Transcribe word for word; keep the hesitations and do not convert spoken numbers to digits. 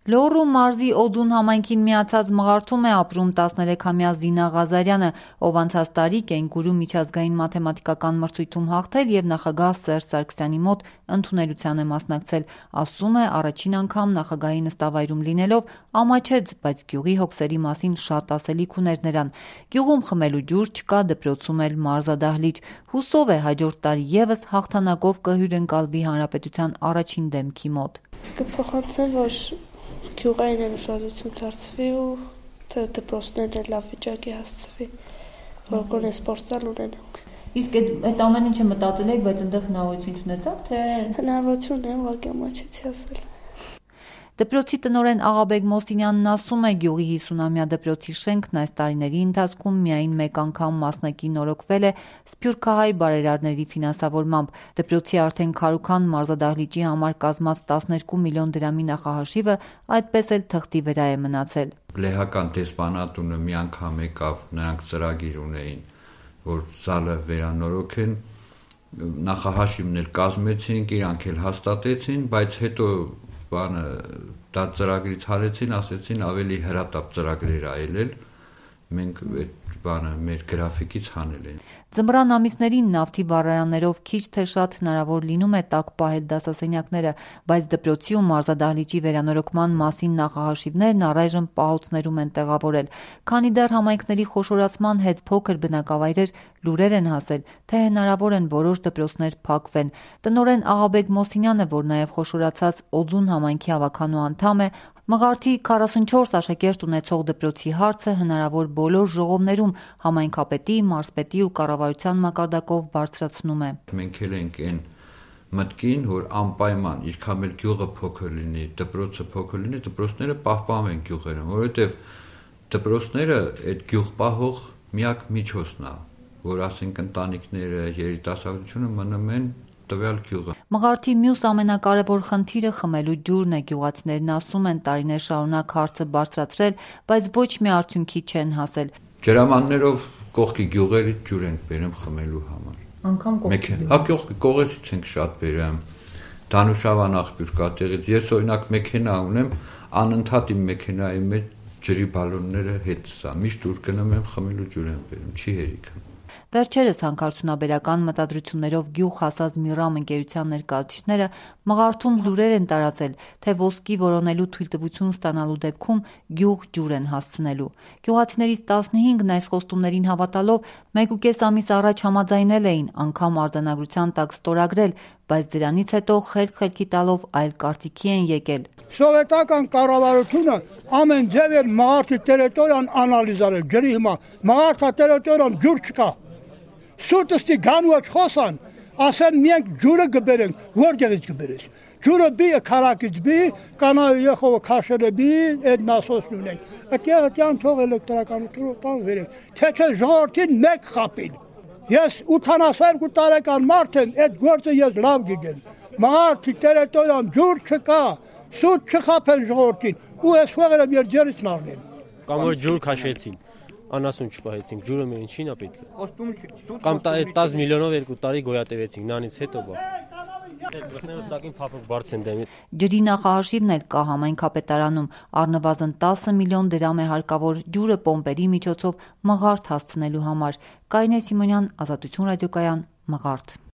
Լոռու մարզի Օձուն համայնքին միացած Մղարթում է ապրում տասներեքամյա Զինա Ղազարյանը, ով անցած տարի կենգուրու միջազգային մաթեմատիկական մրցույթում հաղթել և նախագահ Սերժ Սարգսյանի մոտ ընդունելության է մասնակցել։ Ասում է, առաջին անգամ նախագահի նստավայրում լինելով ամաչեց, բայց գյուղի հոգսերի մասին շատ ասելիք ուներ նրան։ Գյուղում խմելու ջուր չկա, դպրոցում էլ մարզադահլիճ։ Հուսով է հաջորդ տարի ևս հաղթանակով կհյուրընկալվի հանրապետության առաջին դեմքի մոտ։ Կփոխանցեմ, որ գյուղային էլ ուշադրություն դարձվի ու թե դպրոցներն էլ լավ վիճակի հասցվի, որ գոնե սպորտզալ ունենանք։ Իսկ այդ ամեն ինչը մտածել եք, բայց այնտեղ հնարավորություն չունեցաք, թե հնարավորություն է, ուղղակի ամաչեցի ասել։ Դպրոցի տնօրեն Աղաբեկ Մոսինյանն ասում է, գյուղի հիսունամյա դպրոցի շենքն այս տարիների ընթացքում միայն մեկ անգամ մասնակի նորոգվել է սփյուռքահայ բարերարների ֆինանսավորմամբ։ Դպրոցի արդեն քարուքան մարզադահլիճի համար կազմած տասներկու միլիոն դրամի նախահաշիվը այդպես էլ թղթի վրա է մնացել։ Լեհական դեսպանատունը մի անգամ եկավ, նրանք ծրագիր ունեին, որ զալը վերանորոգեն, նախահաշիվն էլ կազմեցինք, իրանք էլ հաստատեցին, բայց հետո բանը դա ծրագրից հարեցին, ասեցին ավելի հրատապ ծրագրեր այլել, մենք այդ բանը մեր գրաֆիկից հանել են։ Ձմռան ամիսներին նավթի վառարաններով քիչ թե շատ հնարավոր լինում է տաք պահել դասասենյակները, բայց դպրոցի ու մարզադահլիճի վերանորոգման մասին նախահաշիվներն առայժմ պահոցներում են տեղավորել։ Քանի դեռ համայնքների խոշորացման հետ փոքր բնակավայրեր լուրեր են հասել, թե հնարավոր են որոշ դպրոցներ փակվեն։ Տնօրեն Աղաբեկ Մոսինյանը, որ նաև խոշորացած Օձուն համայնքի ավականու անդամ է, Մղարթի քառասունչորս աշակերտ ունեցող դպրոցի հարցը հնարավոր բոլոր ժողովներում համայնքապետի, մարզպետի ու կառավարության մակարդակով բարձրացնում է։ Մենք էլ ենք այն մտքին, որ անպայման ինչքան էլ գյուղը փոքր լինի, դպրոցը փոքր լինի, դպրոցները պահպանվեն գյուղերում, որովհետև դպրոցները այդ գյուղ պահող միակ միջոցն է, որ ասենք ընտանիքները, երիտասարդությունը մնում են տվյալ գյուղը։ Մղարթի մյուս ամենակարևոր խնդիրը խմելու ջուրն է։ Գյուղացիներն ասում են տարիներ շարունակ հարցը բարձրացրել, բայց ոչ մի արդյունքի չեն հասել։ Ջրամաններով կողքի գյուղերից ջուր ենք բերում խմելու համար։ Անկամ կողքի։ Հա կողքի կողեցից ենք շատ բերում։ Դանուշավան աղբյուր կա տեղից։ Ես օրինակ մեքենա ունեմ, անընդհատ իմ մեքենայի մեջ ջրի բալոնները հետ սա։ Միշտ ուր գնում եմ խմելու ջուր եմ բերում, չի հերիքում։ Վերջերս հանքարդյունաբերական մտադրություններով գյուղ հասած Միրամ ընկերության ներկայացուցիչները Մղարթում լուրեր են տարածել, թե ոսկի որոնելու թույլտվություն ստանալու դեպքում գյուղ ջուր են հասցնելու։ Գյուղացիներից տասնհինգն այս խոստումներին հավատալով մեկուկես ամիս առաջ համաձայնել էին անգամ արձանագրության տակ ստորագրել, բայց դրանից հետո խելք-խելքի տալով այլ կարծիքի են եկել։ Սովետական կառավարությունը ամեն ձև էր Մղարթի տերիտորիան անալիզարել ջրի հիմա։ Մղարթա տերիտորիան ջուր չկա։ Սուտստի գանուած խոսան, ասեն միենք ջուրը գբերենք, որտեղից գբերես։ Ջուրը բի քարակից բի, կանայ եղողը քաշերը բի, այդ նասոսն ունենք։ Այդտեղ այդյան թող էլեկտրականությունը տան վերենք, թե չէ ժողովրդին մեկ խապին։ Ես ութանասերկու տարեկան մարդ եմ, այդ գործը ես լավ գիտեմ։ Մղարթի տերիտորիան ջուր չկա, սուտ չխապեն ժողովրդին, ու այս ֆողերը մեր ջերից նարնեն։ Կամ որ ջուր քաշեցին, անասուն չպահեցինք, ջուրը մեր ինչին է պետք։ Կամ տասը միլիոնով երկու տարի գոյատևեցինք, նրանից հետո բա։ Ջրի նախահաշիվն էլ կա համայնքապետարանում, առնվազն տասը միլիոն դրամ է հարկավոր ջուրը պոմպերի միջոցով Մղարթ հասցնելու համար։ Կարինե Սիմոնյան, Ազատություն ռադիոկայան, Մղարթ։